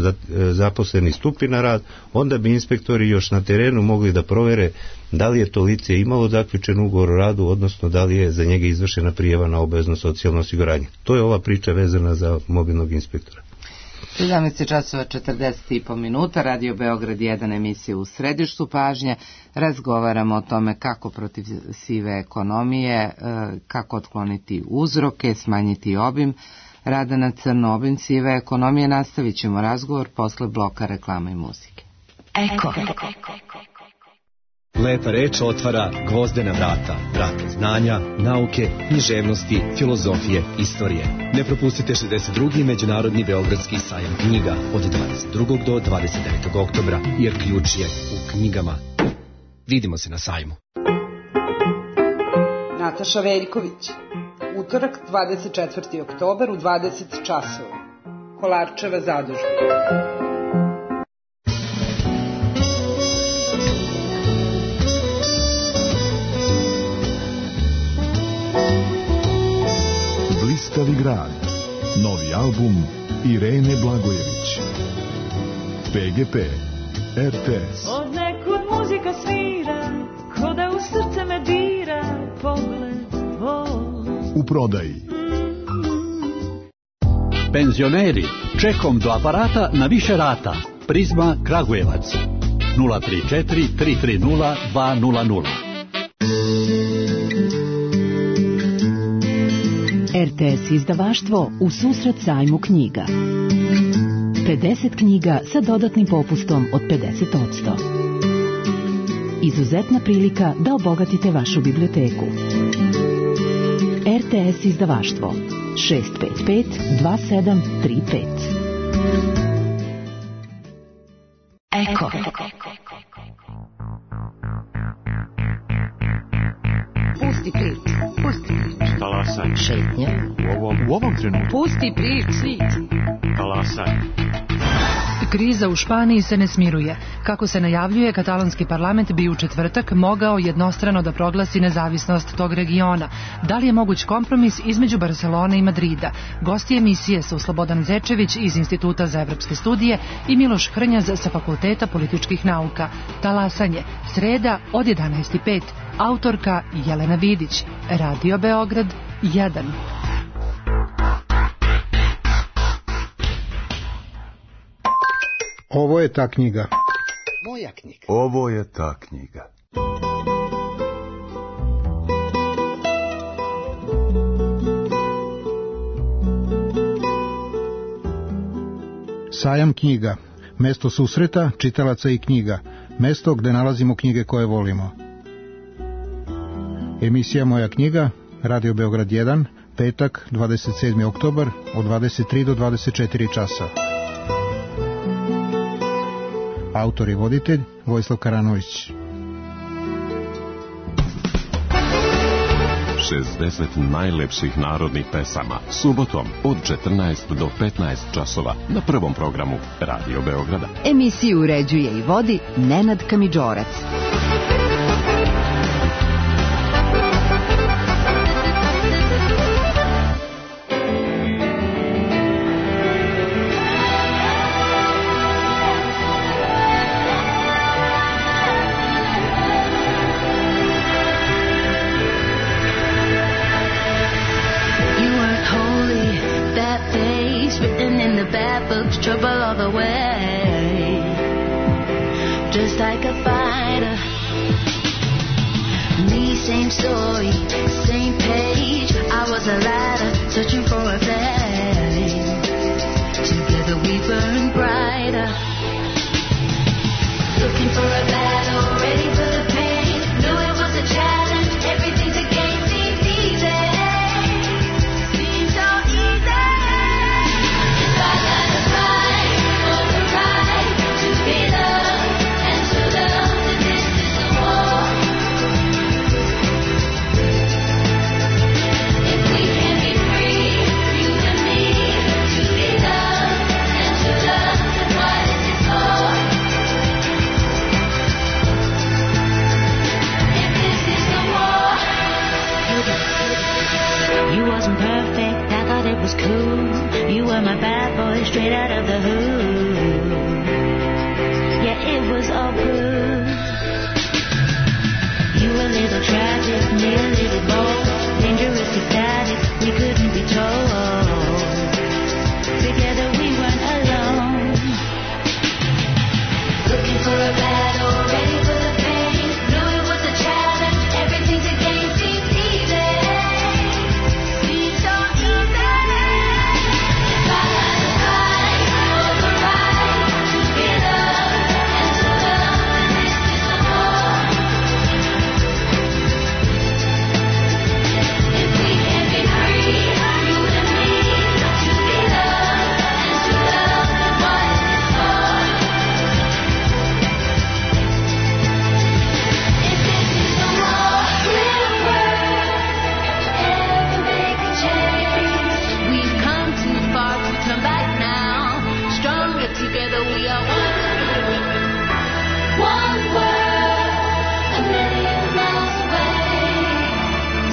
zaposleni stupi na rad, onda bi inspektori još na terenu mogli da provere da li je to lice imalo zaključen ugovor o radu, odnosno da li je za njega izvršena prijava na obavezno socijalno osiguranje. To je ova priča vezana za mobilnog inspektora. sedamnaest časova četrdeset i po minuta, Radio Beograd jedan, emisija u središtu pažnje. Razgovaramo o tome kako protiv sive ekonomije, kako otkloniti uzroke, smanjiti obim rada na crno, obim sive ekonomije. Nastavit ćemo razgovor posle bloka reklama i muzike. Eko. Lepa reč otvara gvozdena vrata, vrata znanja, nauke, književnosti, filozofije, istorije. Ne propustite šezdeset drugi Međunarodni beogradski sajam knjiga od dvadeset drugog do dvadeset devetog oktobra, jer ključ je u knjigama. Vidimo se na sajmu. Nataša Veljković. Utorak, dvadeset četvrti oktobar u dvadeset časova. Kolarčeva zadužba. Blistavi grad. Novi album Irene Blagojević. P G P. R T S. Od nekud muzika svira, ko da u srce me dira, pogled tvoj. U prodaji. Penzioneri, čekom do aparata na više rata. Prizma Kragujevac. nula tri četiri tri tri nula dva nula nula. R T S izdavaštvo u susret sajmu knjiga. pedeset knjiga sa dodatnim popustom od pedeset posto. Izuzetna prilika da obogatite vašu biblioteku. R T S izdavaštvo šest pet pet dva sedam tri pet. Eko. Pusti prič, pusti prič. Talasaj. Šetnja. U ovom, u ovom trenutku. Pusti prič, svit. Talasaj. Kriza u Španiji se ne smiruje. Kako se najavljuje, katalonski parlament bi u četvrtak mogao jednostrano da proglasi nezavisnost tog regiona. Da li je moguć kompromis između Barcelone i Madrida? Gosti emisije su Slobodan Zečević iz Instituta za evropske studije i Miloš Hrnjaz sa Fakulteta političkih nauka. Talasanje, sreda od jedanaest i pet. Autorka Jelena Vidić. Radio Beograd jedan. Ovo je ta knjiga. Moja knjiga. Ovo je ta knjiga. Sajam knjiga. Mesto susreta, čitalaca i knjiga. Mesto gde nalazimo knjige koje volimo. Emisija Moja knjiga, Radio Beograd jedan, petak, dvadeset sedmi oktobar, od dvadeset tri do dvadeset četiri časa. Autor i voditelj Vojislav Karanović. šezdeset najlepših narodnih pesama, subotom od četrnaest do petnaest časova na prvom programu Radio Beograda. Emisiju uređuje i vodi Nenad Kamidžorac. Trouble all the way, just like a fighter. Me, same story, same page. I was a ladder, searching for a flame. Together we burn brighter. Looking for a battle, ready for the pain. Knew it straight out of the hood. Yeah, it was all good. You a little tragic, me a little bold, dangerous ecstatic, we couldn't be told. Together we weren't alone. Looking for a battle, ready for the pain. Knew it was a challenge, everything to gain seems easy. Seems so easy. Fight, fight, for the right to be loved and to love. This is a war. If we can be free, you and me, to be loved and to love, what is this for? If this is a war, will work ever make a change? We've come too far to turn back now. Stronger together, we are one. One world, a million miles away.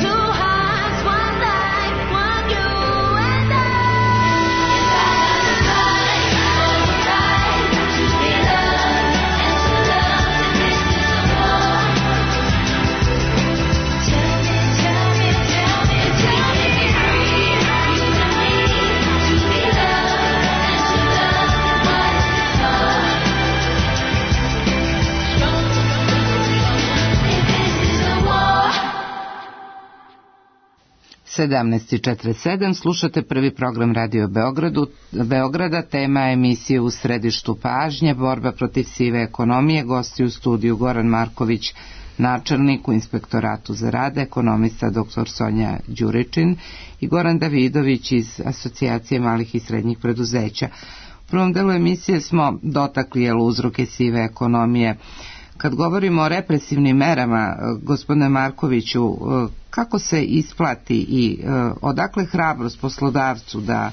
Two hearts, one life, one you and I. Fight for the right to be loved and to love. This is a war. Tell me, tell me, tell me, tell me, be free. You and me to be loved and to love. What is this for? Strong if this is a war. sedamnaest i četrdeset sedam, slušate prvi program Radio Beogradu, Beograda, tema emisije U središtu pažnje, borba protiv sive ekonomije, gosti u studiju Goran Marković, načelnik u Inspektoratu za rad, ekonomista doktor Sonja Đuričin i Goran Davidović iz Asocijacije malih i srednjih preduzeća. U prvom delu emisije smo dotakli jel, uzroke sive ekonomije. Kad govorimo o represivnim merama, gospodine Markoviću, kako se isplati i odakle hrabrost poslodavcu da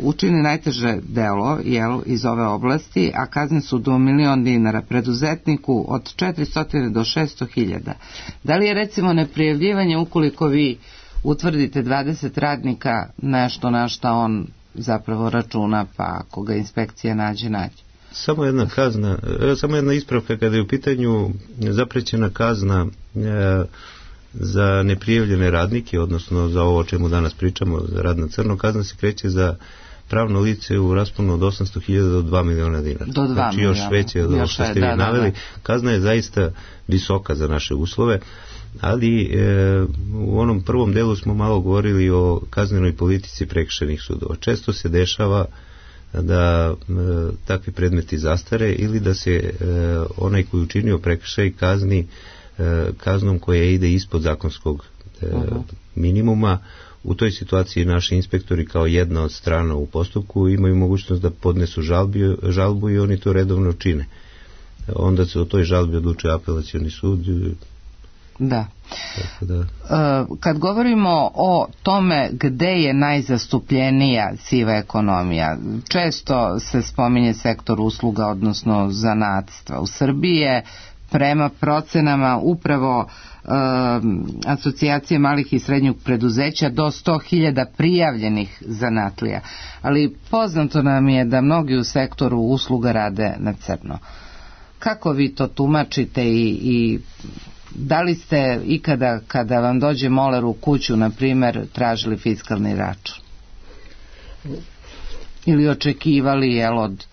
učini najteže delo jel, iz ove oblasti, a kazne su do milion dinara, preduzetniku od četiristo do šesto hiljada. Da li je recimo neprijavljivanje ukoliko vi utvrdite dvadeset radnika nešto na šta on zapravo računa, pa ako ga inspekcija nađe, nađe? Samo jedna kazna, samo jedna ispravka kada je u pitanju zaprećena kazna e, za neprijavljene radnike, odnosno za ovo o čemu danas pričamo, za rad na crno, kazna se kreće za pravno lice u rasponu od osamsto hiljada do dva miliona dinara. Do dva znači još veće od ovo što ste vi da, naveli. Da, da. Kazna je zaista visoka za naše uslove, ali e, u onom prvom delu smo malo govorili o kaznenoj politici prekršajnih sudova. Često se dešava da e, takvi predmeti zastare ili da se e, onaj koji učinio prekršaj kazni e, kaznom koja ide ispod zakonskog e, uh-huh. minimuma. U toj situaciji naši inspektori kao jedna od strana u postupku imaju mogućnost da podnesu žalbi, žalbu i oni to redovno čine. Onda se o toj žalbi odlučuje apelacioni sud. Da. Da. Kad govorimo o tome gde je najzastupljenija siva ekonomija, često se spominje sektor usluga, odnosno zanatstva. U Srbiji je prema procenama upravo uh, asocijacije malih i srednjih preduzeća do sto hiljada prijavljenih zanatlija. Ali poznato nam je da mnogi u sektoru usluga rade na crno. Kako vi to tumačite i, i da li ste ikada kada vam dođe moler u kuću, na primjer, tražili fiskalni račun? Ili očekivali jel, od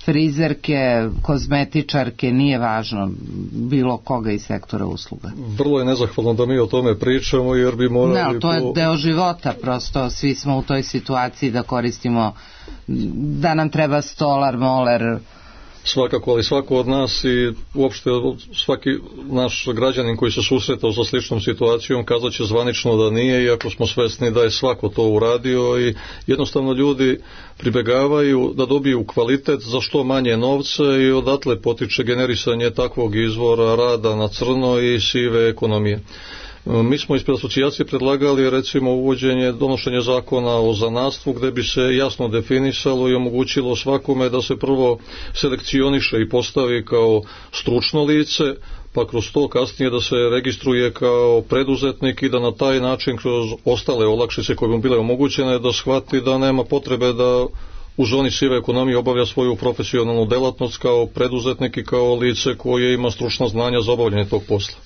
frizerke, kozmetičarke, nije važno, bilo koga iz sektora usluga? Vrlo je nezahvalno da mi o tome pričamo, jer bi morali... Ne, ali to je deo života, prosto svi smo u toj situaciji da koristimo, da nam treba stolar, moler... Svakako, ali svako od nas i uopšte svaki naš građanin koji se susretao sa sličnom situacijom kazat će zvanično da nije, iako smo svesni da je svako to uradio i jednostavno ljudi pribegavaju da dobiju kvalitet za što manje novca i odatle potiče generisanje takvog izvora rada na crno i sive ekonomije. Mi smo ispred asocijacije predlagali recimo uvođenje, donošenje zakona o zanatstvu gde bi se jasno definisalo i omogućilo svakome da se prvo selekcioniše i postavi kao stručno lice, pa kroz to kasnije da se registruje kao preduzetnik i da na taj način kroz ostale olakšice koje bi bile omogućene da shvati da nema potrebe da u zoni sive ekonomije obavlja svoju profesionalnu delatnost kao preduzetnik i kao lice koje ima stručna znanja za obavljanje tog posla.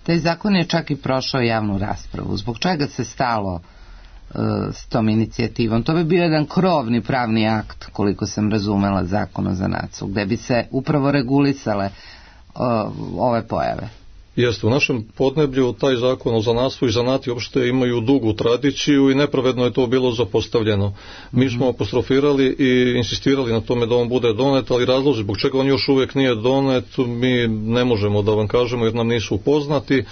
Taj zakon je čak i prošao javnu raspravu. Zbog čega se stalo uh, s tom inicijativom? To bi bio jedan krovni pravni akt, koliko sam razumela, Zakon o zanatstvu, gde bi se upravo regulisale uh, ove pojave. Jeste, u našem podneblju taj zakon o zanatstvu i zanati uopšte imaju dugu tradiciju i nepravedno je to bilo zapostavljeno. Mi smo apostrofirali i insistirali na tome da on bude donet, ali razlozi zbog čega on još uvijek nije donet mi ne možemo da vam kažemo jer nam nisu poznati,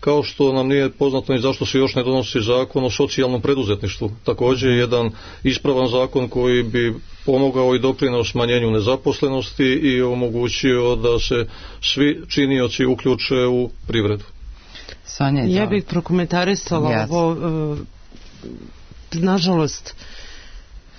kao što nam nije poznato ni zašto se još ne donosi zakon o socijalnom preduzetništvu. Također jedan ispravan zakon koji bi pomogao i doprineo smanjenju nezaposlenosti i omogućio da se svi činioci uključe u privredu. Sonja, ja bih prokomentarisala yes. ovo, uh, nažalost,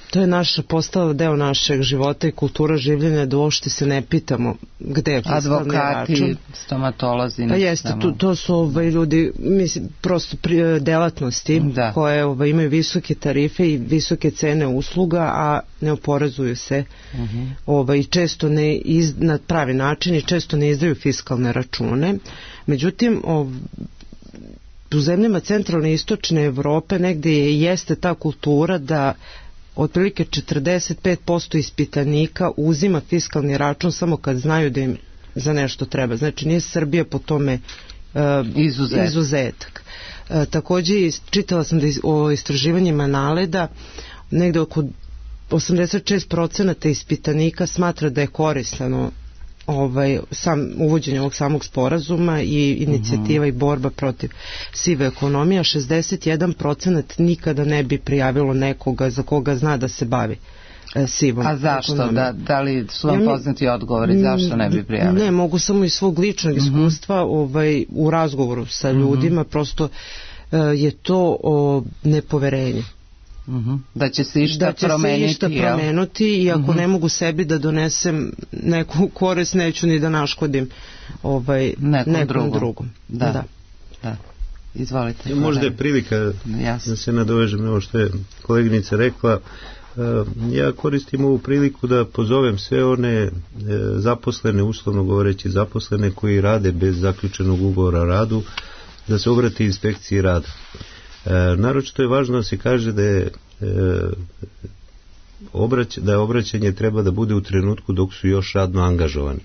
to je naša postala deo našeg života i kultura življenja da uopšte se ne pitamo gde je fiskalni advokati, račun. Stomatolozi. Pa jeste, to, to su ovaj, ljudi, mislim, prosto pri, delatnosti da. koje ovaj, imaju visoke tarife i visoke cene usluga, a ne oporezuju se uh-huh. ovaj, često ne iz, na pravi način i često ne izdaju fiskalne račune. Međutim, ovaj, u zemljama centralne i istočne Evrope negde je, jeste ta kultura da otprilike četrdeset pet posto ispitanika uzima fiskalni račun samo kad znaju da im za nešto treba. Znači nije Srbija po tome uh, Izuzet. izuzetak. Uh, također čitala sam da iz, o istraživanjima NALED-a negde oko osamdeset šest procenata ispitanika smatra da je korisno ovaj, sam, uvođenje ovog samog sporazuma i inicijativa uh-huh. i borba protiv sive ekonomije, a šezdeset jedan procenat nikada ne bi prijavilo nekoga za koga zna da se bavi e, sivom ekonomijom. A zašto? Da, da li su vam ja, poznati odgovori zašto ne bi prijavili? Ne, mogu samo iz svog ličnog uh-huh. iskustva ovaj, u razgovoru sa ljudima, uh-huh. prosto e, je to o, nepoverenje. Uh-huh. Da će se išta da će promeniti, se išta promenuti i ako uh-huh. ne mogu sebi da donesem neku korist, neću ni da naškodim ovaj, nekom, nekom drugom. drugom. Da. Da. Da. Izvolite. Možda je prilika Jasne. da se nadovežem na ovo što je koleginica rekla. Ja koristim ovu priliku da pozovem sve one zaposlene, uslovno govoreći zaposlene koji rade bez zaključenog ugovora o radu, da se obrati inspekciji rada. E, naročito je važno da se kaže da je, e, obrać, da je obraćanje treba da bude u trenutku dok su još radno angažovani.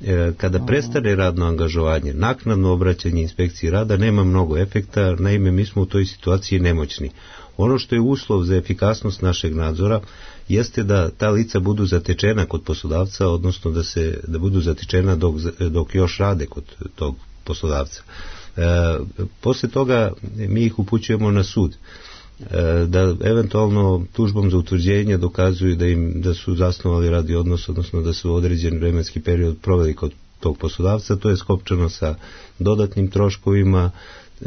E, kada Aha. prestane radno angažovanje, naknadno obraćanje inspekciji rada nema mnogo efekta, naime mi smo u toj situaciji nemoćni. Ono što je uslov za efikasnost našeg nadzora jeste da ta lica budu zatečena kod poslodavca, odnosno da, se, da budu zatečena dok, dok još rade kod tog poslodavca. E, posle toga mi ih upućujemo na sud e, da eventualno tužbom za utvrđenje dokazuju da im da su zasnovali radni odnos, odnosno da su određen vremenski period proveli kod tog poslodavca. To je skopčano sa dodatnim troškovima,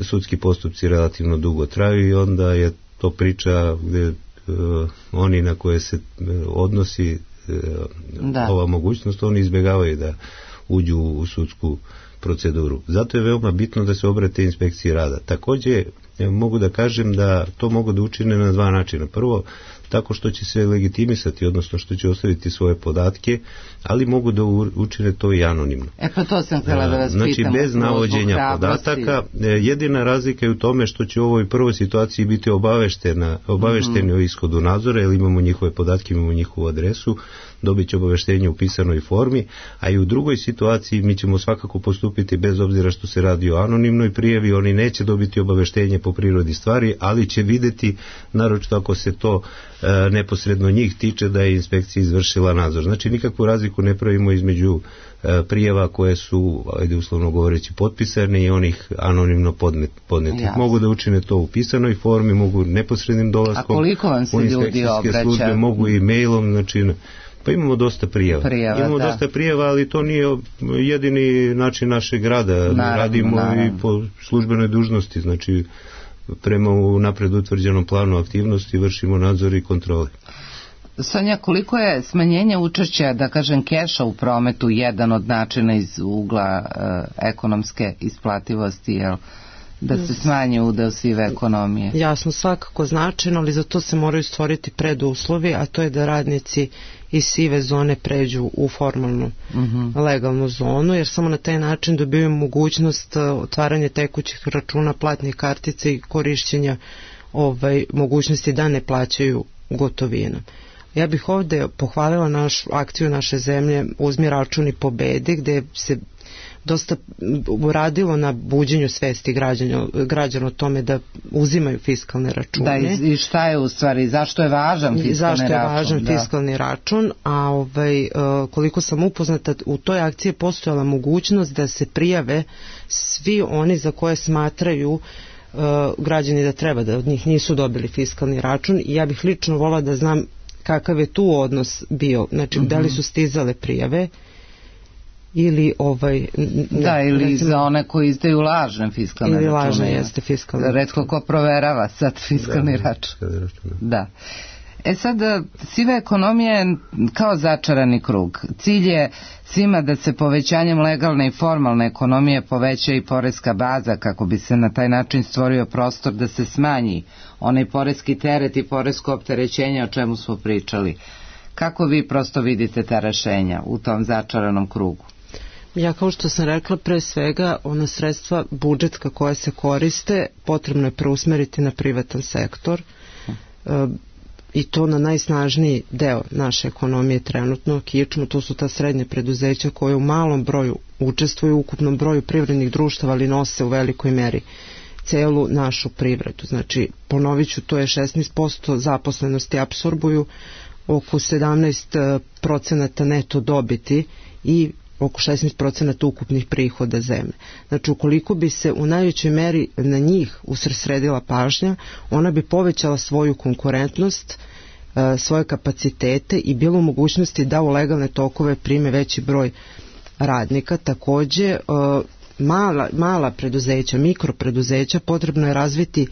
sudski postupci relativno dugo traju i onda je to priča gde e, oni na koje se odnosi e, ova mogućnost, oni izbjegavaju da uđu u sudsku proceduru. Zato je veoma bitno da se obrate inspekciji rada. Također mogu da kažem da to mogu da učine na dva načina. Prvo, tako što će se legitimisati, odnosno što će ostaviti svoje podatke, ali mogu da učine to i anonimno. E pa to sam htjela da vas znači, pitam. Znači bez navođenja podataka. Jedina razlika je u tome što će u ovoj prvoj situaciji biti obaveštena, obavešteni mm-hmm. o ishodu nadzora, jer imamo njihove podatke, imamo njihovu adresu, dobit će obaveštenje u pisanoj formi, a i u drugoj situaciji mi ćemo svakako postupiti bez obzira što se radi o anonimnoj prijavi, oni neće dobiti obaveštenje po prirodi stvari, ali će videti, naročito ako se to e, neposredno njih tiče, da je inspekcija izvršila nadzor. Znači nikakvu razliku ne pravimo između e, prijava koje su, ajde uslovno govoreći, potpisane i onih anonimno podnet, podnetih. Mogu da učine to u pisanoj formi, mogu neposrednim dolaskom. A koliko vam se ljudi obraća? Službe, mogu i mailom, znači pa imamo dosta prijava. prijava imamo da. dosta prijava, ali to nije jedini način našeg rada. Naravno, radimo naravno. i po službenoj dužnosti, znači prema napred utvrđenom planu aktivnosti vršimo nadzor i kontrole. Sonja, koliko je smanjenje učešća, da kažem, keša u prometu jedan od načina iz ugla e, ekonomske isplativosti, jel? da se smanji udeo sive ekonomije? Jasno, svakako značajno, ali za to se moraju stvoriti preduslovi, a to je da radnici iz sive zone pređu u formalnu uh-huh. legalnu zonu, jer samo na taj način dobiju mogućnost otvaranja tekućih računa, platnih kartica i korišćenja ovaj, mogućnosti da ne plaćaju gotovinom. Ja bih ovde pohvalila našu akciju naše zemlje Uzmi račun i pobedi, gde se dosta uradilo na buđenju svesti građana, građana o tome da uzimaju fiskalne račune. Da, i šta je u stvari, zašto je važan fiskalni račun? Zašto je važan da. fiskalni račun, a ovaj, koliko sam upoznata, u toj akciji je postojala mogućnost da se prijave svi oni za koje smatraju građani da treba, da od njih nisu dobili fiskalni račun, i ja bih lično volila da znam kakav je tu odnos bio, znači uh-huh. da li su stizale prijave ili ovaj ne, da, ili recimo, za one koji izdaju lažne fiskalne ili račune. Lažne jeste fiskalne. Retko ko proverava sad fiskalni da, račun. Da. E sad, siva ekonomija je kao začarani krug. Cilj je svima da se povećanjem legalne i formalne ekonomije poveća i poreska baza, kako bi se na taj način stvorio prostor da se smanji onaj poreski teret i poresko opterećenje o čemu smo pričali. Kako vi prosto vidite ta rešenja u tom začaranom krugu? Ja, kao što sam rekla, pre svega ona sredstva budžetska koja se koriste potrebno je preusmeriti na privatan sektor e, i to na najsnažniji deo naše ekonomije trenutno, kičmu, to su ta srednja preduzeća koje u malom broju učestvuju u ukupnom broju privrednih društava, ali nose u velikoj meri celu našu privredu. Znači, ponovit ću, to je šesnaest posto zaposlenosti, apsorbuju oko sedamnaest procenata neto dobiti i oko šesnaest procenata ukupnih prihoda zemlje. Znači, ukoliko bi se u najvećoj meri na njih usredsredila pažnja, ona bi povećala svoju konkurentnost, svoje kapacitete i bilo u mogućnosti da u legalne tokove prime veći broj radnika. Takođe, mala, mala preduzeća, mikropreduzeća, potrebno je razviti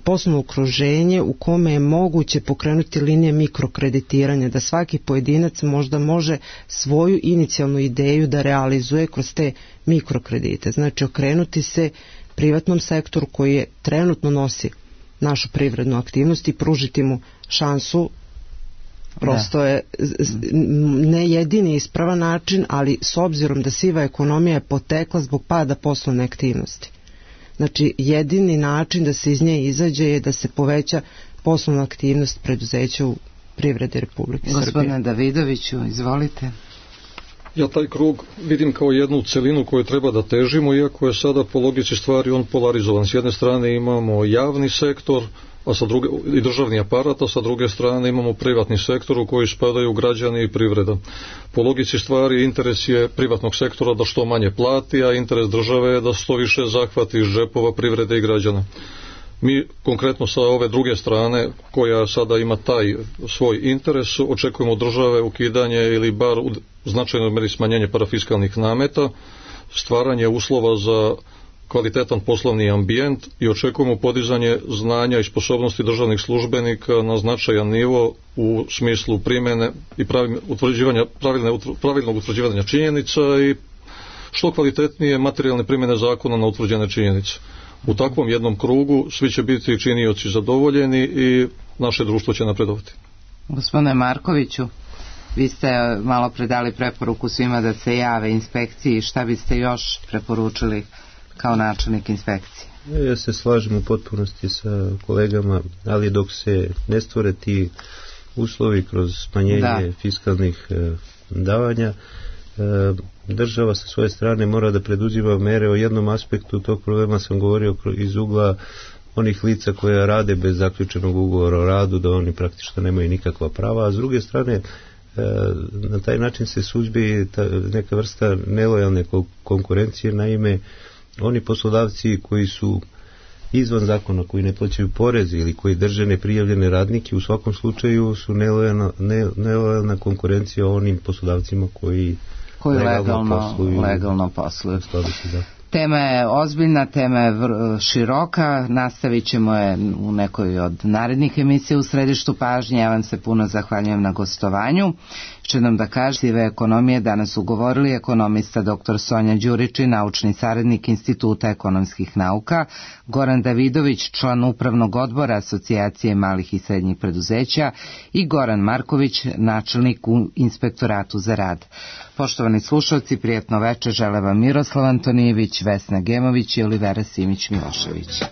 poslovno okruženje u kome je moguće pokrenuti linije mikrokreditiranja, da svaki pojedinac možda može svoju inicijalnu ideju da realizuje kroz te mikrokredite. Znači, okrenuti se privatnom sektoru koji je trenutno nosi našu privrednu aktivnost i pružiti mu šansu. Prosto je ne jedini ispravan način, ali s obzirom da siva ekonomija je potekla zbog pada poslovne aktivnosti. Znači, jedini način da se iz nje izađe je da se poveća poslovna aktivnost preduzeća u privredi Republike Srbije. Gospodine Davidoviću, izvolite. Ja taj krug vidim kao jednu celinu koju treba da težimo, iako je sada po logici stvari on polarizovan. S jedne strane imamo javni sektor, a sa druge, i državni aparat, a sa druge strane imamo privatni sektor u koji spadaju građani i privreda. Po logici stvari interes je privatnog sektora da što manje plati, a interes države je da što više zahvati iz džepova privrede i građana. Mi konkretno sa ove druge strane, koja sada ima taj svoj interes, očekujemo države ukidanje ili bar u značajnoj meri smanjenje parafiskalnih nameta, stvaranje uslova za kvalitetan poslovni ambijent i očekujemo podizanje znanja i sposobnosti državnih službenika na značajan nivo u smislu primjene i utvrđivanja, pravilne, pravilnog utvrđivanja činjenica i što kvalitetnije materijalne primjene zakona na utvrđene činjenice. U takvom jednom krugu svi će biti činioci zadovoljeni i naše društvo će napredovati. Gospodine Markoviću, vi ste malo predali preporuku svima da se jave inspekciji. Šta biste još preporučili kao načelnik inspekcije? Ja se slažem u potpunosti sa kolegama, ali dok se ne stvore ti uslovi kroz smanjenje da. fiskalnih e, davanja, e, država sa svoje strane mora da preduzima mere. O jednom aspektu tog problema sam govorio iz ugla onih lica koja rade bez zaključenog ugovora o radu, da oni praktično nemaju nikakva prava, a s druge strane e, na taj način se suzbije ta, neka vrsta nelojalne konkurencije. Naime, oni poslodavci koji su izvan zakona, koji ne plaćaju porez ili koji drže neprijavljene radnike, u svakom slučaju su nelojalna, ne, nelojalna konkurencija onim poslodavcima koji, koji legalno posluju. Legalno posluju. Tema je ozbiljna, tema je široka, nastavit ćemo je u nekoj od narednih emisija u središtu pažnje. Ja vam se puno zahvaljujem na gostovanju. Će nam da kaže sive ekonomije danas ugovorili ekonomista doktor Sonja Đurić i naučni saradnik Instituta ekonomskih nauka, Goran Davidović, član upravnog odbora Asocijacije malih i srednjih preduzeća i Goran Marković, načelnik u Inspektoratu za rad. Poštovani slušalci, prijatno večer žele vam Miroslav Antonijević, Vesna Gemović i Olivera Simić Milošević.